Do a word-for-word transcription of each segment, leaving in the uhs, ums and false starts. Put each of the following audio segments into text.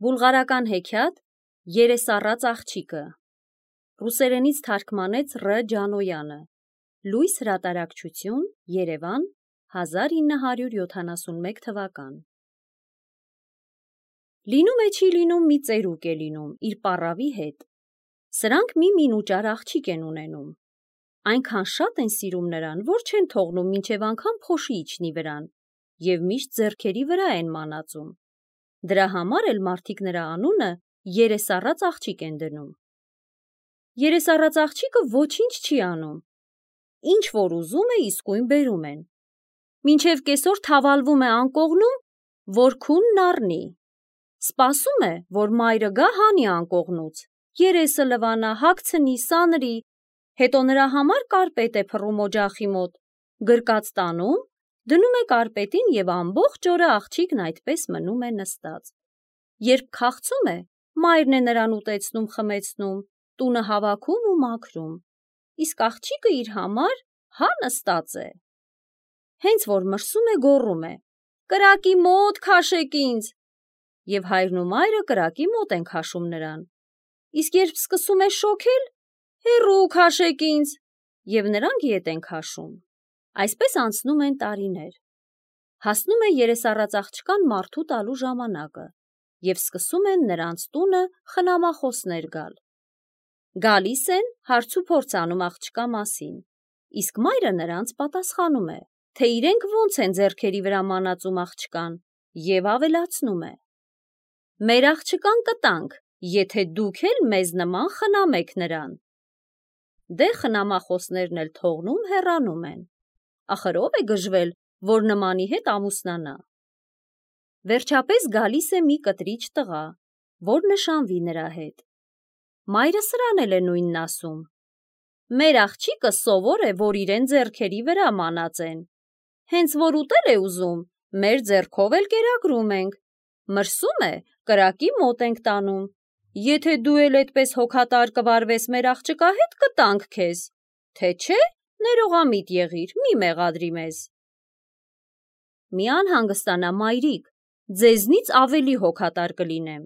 Բուլղարական հեքիաթ Երեսառած աղջիկը ռուսերենից թարգմանեց Ռ. Ջանոյանը Լույս հրատարակչություն Երևան հազար ինը հարյուր յոթանասունմեկ թվական Լինում է չի լինում մի ծերուկ է լինում իր պառավի հետ Սրանք մի մինուճար աղջիկ են ունենում Այնքան շատ են սիրում նրան, որ չեն թողնում մինչև անգամ փոշի իջնի վրան և միշտ ձեռքերի վրա են մանածում Դրա համար էլ մարդիկ նրա անունը երեսառած աղջիկ են դնում Երեսառած աղջիկը ոչինչ չի անում Ինչ որ ուզում է իսկույն բերում են Մինչև կեսօր թավալվում է անկողնում, որ քունն առնի Սպասում է, որ մայրը գա հանի անկողնուց Երեսը լվանա, հագցնի, սանրի Հետո նրա համար կարպետ է փռում օջախի մոտ Գրկած տանում Դնում է կարպետին և ամբողջ օրը աղջիկն այդպես մնում է նստած Երբ քաղցում է, մայրն է նրան ուտեցնում, խմեցնում, տունը հավաքում ու մաքրում Իսկ աղջիկը իր համար հա նստած է Հենց որ մրսում է գոռում է Կրակի մոտ քաշեք ինձ Եվ հայրն ու մայրը կրակի մոտ են քաշում նրան Իսկ երբ սկսում է շոգել, հեռու քաշեք ինձ Եվ նրանք ետ են քաշում Այսպես անցնում են տարիներ Հասնում է երեսառած աղջկան մարդու տալու ժամանակը Եվ սկսում են նրանց տունը խնամախոսներ գալ Գալիս են, հարց ու փորձ անում աղջկա մասին Իսկ մայրը նրանց պատասխանում է, թե իրենք ոնց են ձեռքերի վրա մանածում աղջկան և ավելացնում է Մեր աղջկան կտանք, եթե դուք էլ մեզ նման խնամեք նրան Դե խնամախոսներն էլ թողնում հեռանում են Ախր ով է գժվել, որ նմանի հետ ամուսնանա Վերջապես գալիս է մի կտրիչ տղա, որ նշանվի նրա հետ Մայրը սրան էլ է նույնն ասում Մեր աղջիկը սովոր է, որ իրեն ձեռքերի վրա մանածեն Հենց որ ուտել է ուզում, մեր ձեռքով էլ կերակրում ենք Մրսում է, կրակի մոտ ենք տանում Եթե դու էլ էդպես հոգատար կվարվես մեր աղջկա հետ կտանք քեզ Թե չէ, ներողամիտ եղիր, մի մեղադրի մեզ Մի անհանգստանա մայրիկ, ձեզնից ավելի հոգատար կլինեմ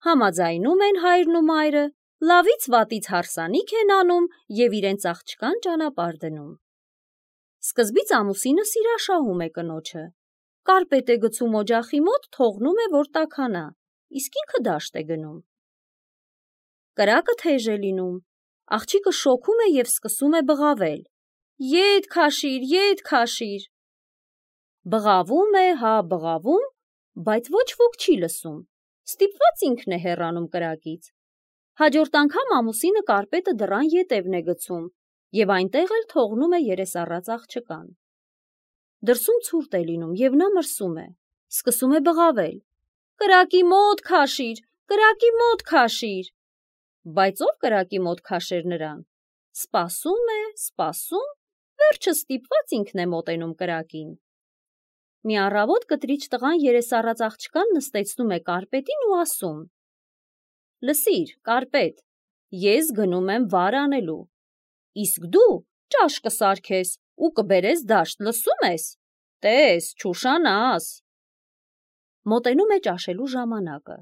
Համաձայնում են հայրն ու մայրը, լավից վատից հարսանիք են անում և իրենց աղջկան ճանապարհ դնում Սկզբից ամուսինը սիրաշահում է կնոջը Կարպետ է գցում օջախի մոտ, թողնում է, որ տաքանա, իսկ ինքը դաշտ է գնում Կրակը թեժ է լինում, աղջիկը շոգում է և սկսում է բղավել Ետ քաշիր, ետ քաշիր Բղավում է, հա բղավում, բայց ոչ ոք չի լսում Ստիպված ինքն է հեռանում կրակից Հաջորդ անգամ ամուսինը կարպետը դռան ետևն է գցում և այնտեղ էլ թողնում է երեսառած աղջկան Դրսում ցուրտ է լինում և նա մրսում է, սկսում է բղավել Կրակի մոտ քաշիր, կրակի մոտ քաշիր Բայց ով կրակի մոտ քաշեր նրան Սպասում է, սպասում, վերջը ստիպված ինքն է մոտենում կրակին Մի առավոտ կտրիչ տղան երեսառած աղջկան նստեցնում է կարպետին ու ասում Լսիր, կարպետ, ես գնում եմ վար անելու Իսկ դու ճաշ կսարքես ու կբերես դաշտ, լսում ես, տես, չուշանաս Մոտենում է ճաշելու ժամանակը,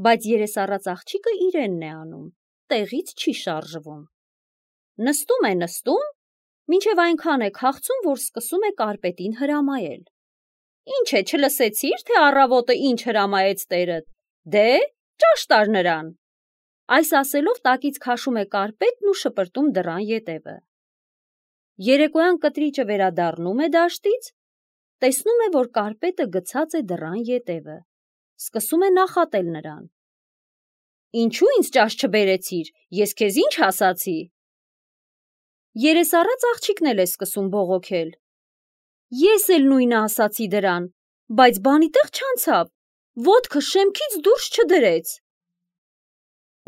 բայց երեսառած աղջիկը իրենն է անում, տեղից չի շարժվում Նստում է նստում, մինչև այնքան է քաղցում, որ սկսում է կարպետին հրամայել Ինչ է, չլսեցիր, թե առավոտը ինչ հրամայեց տերդ, դե, ճաշ տար նրան Այս ասելով տակից քաշում է կարպետն ու շպրտում դռան ետևը Երեկոյան կտրիճը վերադառնում է դաշտից, տեսնում է, որ կարպետը գցած է դռան ետևը, սկսում է նախատել նրան Ինչու ինձ ճաշ չբերեցիր, ես քեզ ինչ ասացի Երեսառած աղջիկն էլ է սկսում բողոքել Ես էլ նույնը ասացի դրան, բայց բանի տեղ չանցավ, ոտքը շեմքից դուրս չդրեց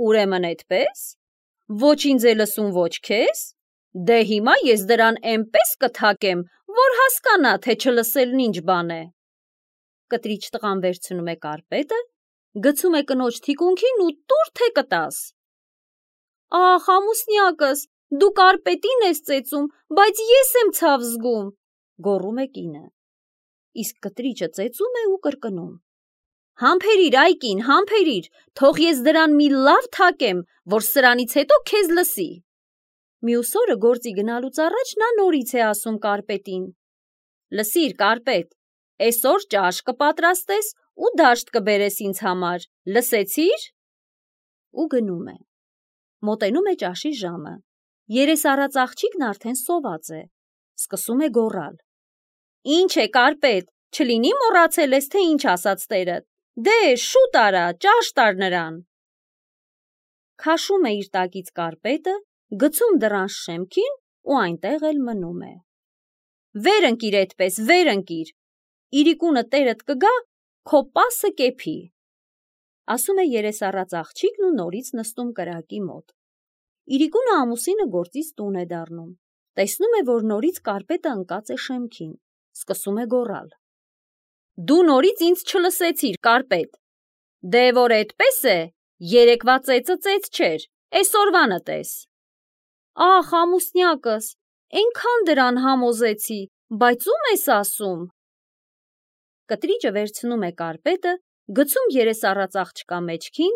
Ուրեմն էդպես, ոչ ինձ է լսում, ոչ քեզ, դե հիմա ես դրան էնպես կթակեմ, որ հասկանա, թե չլսելն ինչ բան է Կտրիչ տղան վերցնում է կարպետը, գցում է կնոջ թիկունքին ու տուր թե կտաս Ախ, ամուսնյակս, դու կարպետին ես ծեծում, բայց ես եմ ցավ զգում, գոռում է կինը Իսկ կտրիճը ծեծում է ու կրկնում Համբերիր, այկին, համբերիր, թող ես դրան մի լավ թակեմ, որ սրանից հետո քեզ լսի։ Մյուս օրը գործի գնալուց առաջ նա նորից է ասում կարպետին. Լսիր, կարպետ, այսօր ճաշ կպատրաստես ու դաշտ կբերես ինձ համար, լսեցիր։ Ու գնում է։ Մոտենում է ճաշի ժամը։ Երես առած աղջիկն արդեն սոված է։ Սկսում է գոռալ. Ինչ է, կարպետ, չլինի մոռացել ես, թե ինչ ասաց տերդ։ Դե, շուտ արա, ճաշ տար նրան։ Քաշում է իր տակից կարպետը, գցում դռան շեմքին ու այնտեղ էլ մնում է։ Վեր ընկիր այդպես, վեր ընկիր։ Իրիկունը տերդ կգա, քո պասը կեփի։ Ասում է երես առած աղջիկն ու նորից նստում կրակի մոտ։ Իրիկունը ամուսինը գործից տուն է դառնում։ Տեսնում է, որ նորից կարպետը ընկած է շեմքին։ Սկսում է գոռալ. Դու նորից ինձ չլսեցիր, կարպետ։ Դե որ այդպես է, երեկվա ծեծը ծեծ չէր, այսօրվանը տես։ Ախ, ամուսնյակս, այնքան դրան համոզեցի, բայց ում ես ասում։ Կտրիճը վերցնում է կարպետը, գցում երես առած աղջկա մեջքին,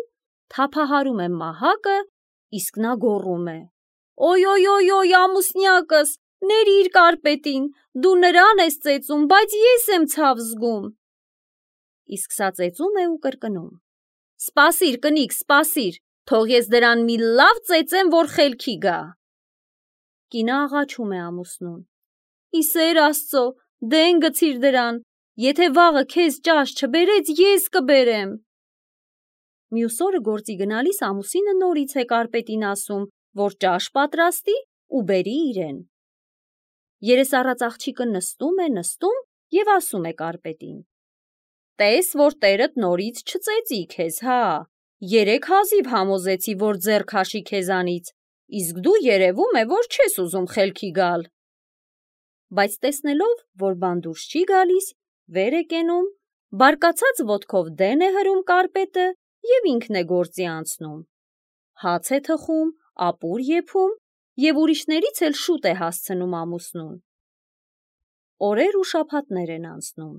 թափահարում է մահակը, իսկ նա գոռում է. Օյ, օյ, օյ, օյ, ամուսնյակս, ներիր կարպետին, դու նրան ես ծեծում, բայց ես եմ ցավ զգում։ Իսկ սա ծեծում է ու կրկնում. Սպասիր, կնիկ, սպասիր, թող ես դրան մի լավ ծեծեմ, որ խելքի գա։ Կինը աղաչում է ամուսնուն. Ի սեր Աստծո, դեն գցիր դրան, եթե վաղը քեզ ճաշ չբերեց, ես կբերեմ։ Մյուս օրը գործի գնալիս ամուսինը նորից է կարպետին ասում, որ ճաշ պատրաստի ու բերի իրեն։ Երես առած աղջիկը նստում է, նստում և ասում է կարպետին. Տես, որ տերդ նորից չծեծի քեզ, հա, երեք հազիվ համոզեցի, որ ձեռք հաշի քեզանից, իսկ դու երևում է, որ չես ուզում խելքի գալ։ Բայց տեսնելով, որ բան դուրս չի գալիս, վեր է կենում, բարկացած ոտքով դեն է հրում կարպետը և ինքն է գործի անցնում։ Հաց է թխում, ապուր եփում և ուրիշներից էլ շուտ է հասցնում ամուսնուն։ Օրեր ու շաբաթներ են անցնում։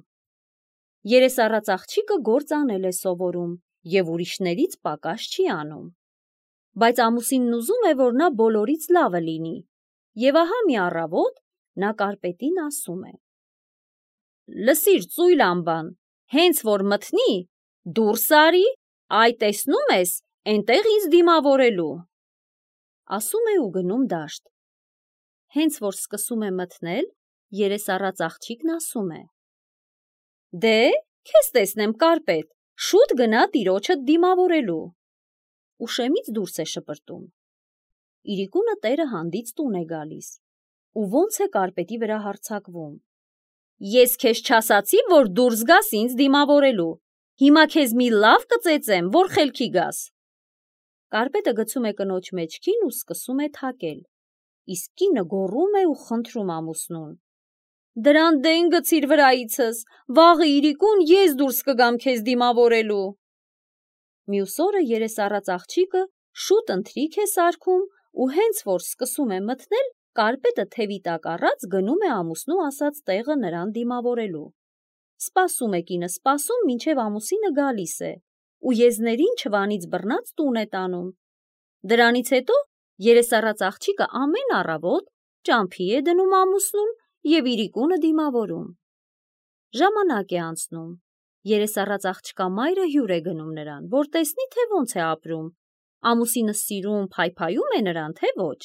Երես առած աղջիկը գործ անել է սովորում և ուրիշներից պակաս չի անում։ Բայց ամուսինն ուզում է, որ նա բոլորից լավը լինի, և ահա մի առավոտ նա կարպետին ասում է. Լսիր, ծույլ ամբան, հենց որ մթնի, դուրս արի, այ տեսնում ես, էնտեղ ինձ դիմավորելու։ Ասում է ու գնում դաշտ։ Հենց որ սկսում է մթնել, երես առած աղջիկն ասում է. Դե, քեզ տեսնեմ կարպետ, շուտ գնա տիրոջդ դիմավորելու։ Ու շեմից դուրս է շպրտում։ Իրիկունը տերը հանդից տուն է գալիս ու ոնց է կարպետի վրա հարձակվում. Ես քեզ չասացի, որ դուրս գաս ինձ դիմավորելու, հիմա քեզ մի լավ կծեծեմ, որ խելքի գաս։ Կարպետը գցում է կնոջ մեջքին ու սկսում է թակել, իսկ կինը գոռում է ու խնդրում ամուսնուն. Դրան դեն գցիր վրայիցս, վաղը իրիկուն ես դուրս կգամ քեզ դիմավորելու։ Մյուս օրը երես առած աղջիկը շուտ ընթրիք է սարքում ու հենց որ սկսում է մթնել, կարպետը թևի տակ առած գնում է ամուսնու ասած տեղը նրան դիմավորելու։ Սպասում է կինը, սպասում, մինչև ամուսինը գալիս է ու եզներին չվանից բռնած տուն է տանում։ Դրանից հետո երես առած աղջիկը ամեն առավոտ ճամփի է դնում ամուսնուն և իրիկունը դիմավորում։ Ժամանակ է անցնում։ Երես առած աղջկա մայրը հյուր է գնում նրան, որ տեսնի, թե ոնց է ապրում, ամուսինը սիրում, փայփայում է նրան, թե ոչ։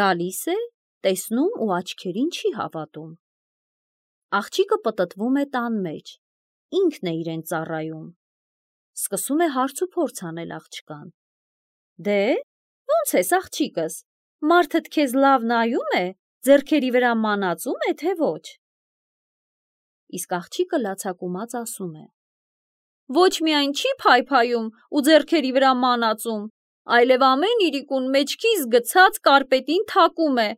Գալիս է, տեսնում ու աչքերին չի հավատում։ Աղջիկը պտտվում է տան մեջ, ինքն է իրեն ծառայում։ Սկսում է հարց ու փորձ անել աղջկան. Դե, ոնց ես աղջիկս, մարդդ քեզ լավ նայում է, ձեռքերի վրա մանածում է, թե ոչ։ Իսկ աղջիկը լացակումած ասում է. Ոչ միայն չի փայփայում ու ձեռքերի վրա մանածում, այլև ամեն իրիկուն մեջքիս գցած կարպետին թակում է,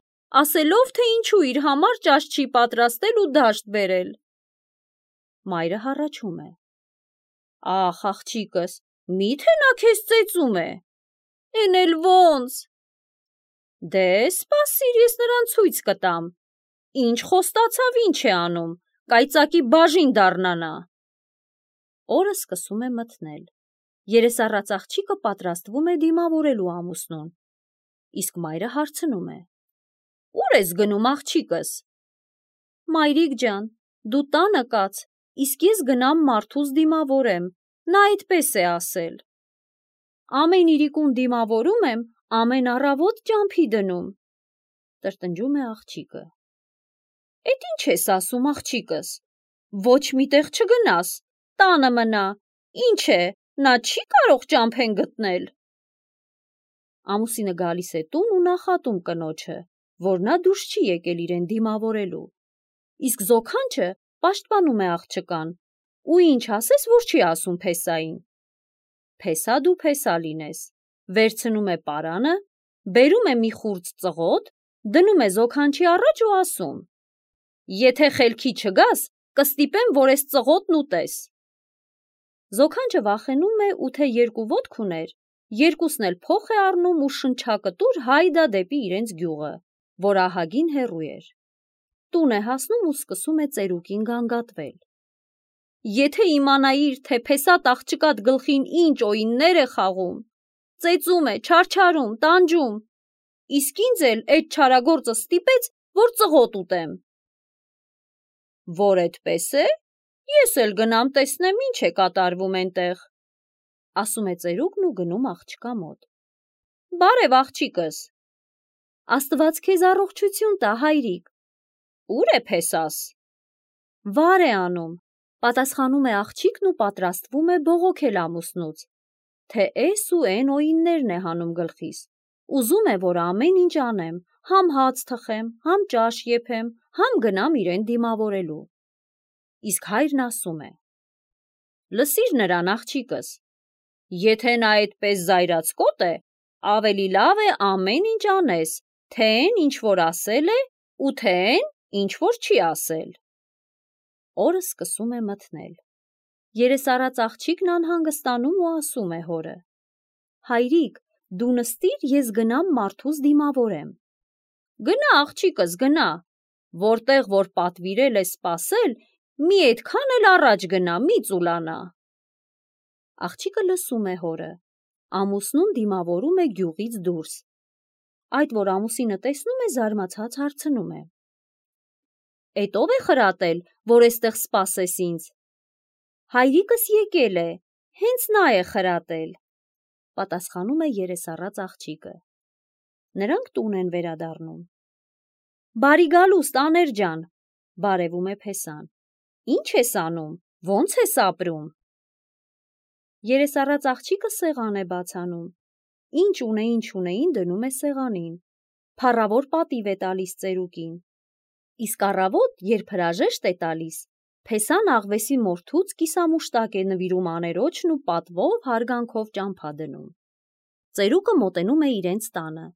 ասելով, թե ինչու իր համար ճաշ չի պատրաստել ու դաշտ բերել։ Մայրը հառաչում է. Ախ, աղջիկս, մի՞թե նա քեզ ծեծում է։ Էն էլ ոնց։ Դե, սպասիր, ես նրան ցույց կտամ։ Ինչ խոստացավ, ինչ է անում, կայծակի բաժին դառնա նա։ Օրը սկսում է մթնել։ Երեսառած աղջիկը պատրաստվում է դիմավորելու ամուսնուն։ Իսկ մայրը հարցնում է. «Ուր ես գնում, աղջիկս»։ «Մայրիկ ջան, դու տանը կաց, իսկ ես գնամ մարդուս դիմավորեմ, նա այդպես է ասել»։ «Ամեն իրիկուն դիմավորում եմ, ամեն առավոտ ճամփի դնում», տրտնջում է աղջիկը։ «Էդ ինչ ես ասում, աղջիկս, ոչ մի տեղ չգնաս, տանը մնա, ինչ է, նա չի կարող ճամփեն գտնել»։ Ամուսինը գալիս է տուն ու նախատում կնոջը, որ նա դուրս չի եկել իրեն դիմավորելու։ Իսկ զոքանչը պաշտպանում է աղջկան ու ինչ ասես, որ չի ասում փեսային։ Փեսա դու փեսա լինես, վերցնում է պարանը, բերում է մի խուրձ ծղոտ, դնում է զոքանչի առաջ ու ասում. «Եթե խելքի չգաս, կստիպեմ, որ ես ծղոտն ուտես»։ Զոքանչը վախենում է ու թե երկու ոտք ուներ, երկուսն էլ փոխ է առնում ու շնչակտուր հայդա դեպի իրենց գյուղը, որ ահագին հեռու էր։ Տուն է հասնում ու սկսում է ծերուկին գանգատվել. «Եթե իմանայիր, թե փեսատ աղջկատ գլխին ինչ օիններ է խաղում, ծեծում է, չարչարում, տանջում, իսկ ինձ էլ էդ չարագործը ստիպեց, որ ծղոտ ուտեմ»։ «Որ էդպես է, ես էլ գնամ տեսնեմ ինչ է կատարվում էնտեղ», ասում է ծերուկն ու գնում աղջկա մոտ։ «Բարև աղջիկս»։ «Աստված քեզ առողջություն տա, հայրիկ»։ «Ուր է փեսաս»։ «Վար է անում», պատասխանում է աղջիկն ու պատրաստվում է բողոքել ամուսնուց, թե էս ու էն օիններն է հանում գլխիս, ուզում է, որ ամեն ինչ անեմ, համ հաց թխեմ, համ ճաշ եփեմ, համ գնամ իրեն դիմավորելու։ Իսկ հայրն ասում է. «Լսիր նրան, աղջիկս, եթե նա այդպես զայրացկոտ է, ավելի լավ է ամեն ինչ անես, թե էն ինչ որ ասել է ու թե էն ինչ որ չի ասել»։ Օրը սկսում է մթնել։ Երեսառած աղջիկն անհանգստանում ու ասում է հորը. «Հայրիկ, դու նստիր, ես գնամ մարդուս դիմավորեմ»։ «Գնա, աղջիկս, գնա, որտեղ որ պատվիրել է սպասել, մի այդքան էլ առաջ գնա, մի ծուլանա»։ Աղջիկը լսում է հորը։ Ամուսնուն դիմավորում է գյուղից դուրս։ Այդ որ ամուսինը տեսնում է, զարմացած հարցնում է. «Էդ ո՞վ է խրատել, որ էստեղ սպասես ինձ»։ «Հայրիկս եկել է, հենց նա է խրատել», պատասխանում է երեսառած աղջիկը։ Նրանք տուն են վերադառնում։ «Բարի գալուստ, Աներ ջան», բարևում է փեսան։ «Ինչ ես անում, ո՞նց ես ապրում»։ Երեսառած աղջիկը սեղան է բաց անում։ Ինչ ունեին չունեին դնում է սեղանին։ Փառավոր պատիվ է տալիս ծերուկին։ Իսկ առավոտ, երբ հրաժեշտ է տալիս, փեսան աղվեսի մորթուց կիսամուշտակ է նվիրում աներոջն ու պատվով հարգանքով ճամփա դնում։ Ծերուկը մոտենում է իրենց տանը,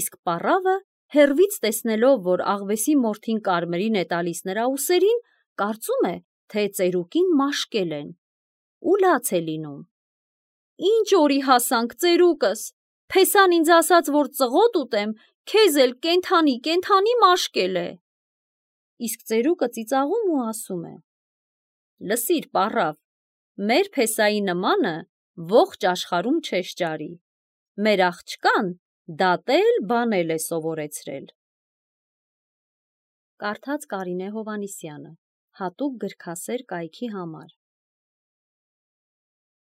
իսկ պառավը, հեռվից տեսնելով, որ աղվեսի մորթին կարմիրին է տալիս նրա ուսերին, կարծում է, թե ծերուկին մաշկել են ու լաց է լինում։ «Ինչ օրի հասանք, ծերուկս, փեսան ինձ ասաց, որ ծղոտ ուտեմ, քեզ էլ կենթանի կենթանի մաշկել է»։ Իսկ ծերուկը ծիծաղում ու ասում է. «Լսիր, պառավ, մեր փեսայի նմանը ողջ աշխարհում չես ճարի, մեր աղջկան դատել, բանել է սովորեցրել»։ Կարդաց Կարինե Հովհաննիսյանը, հատուկ գրքասեր կայքի համար։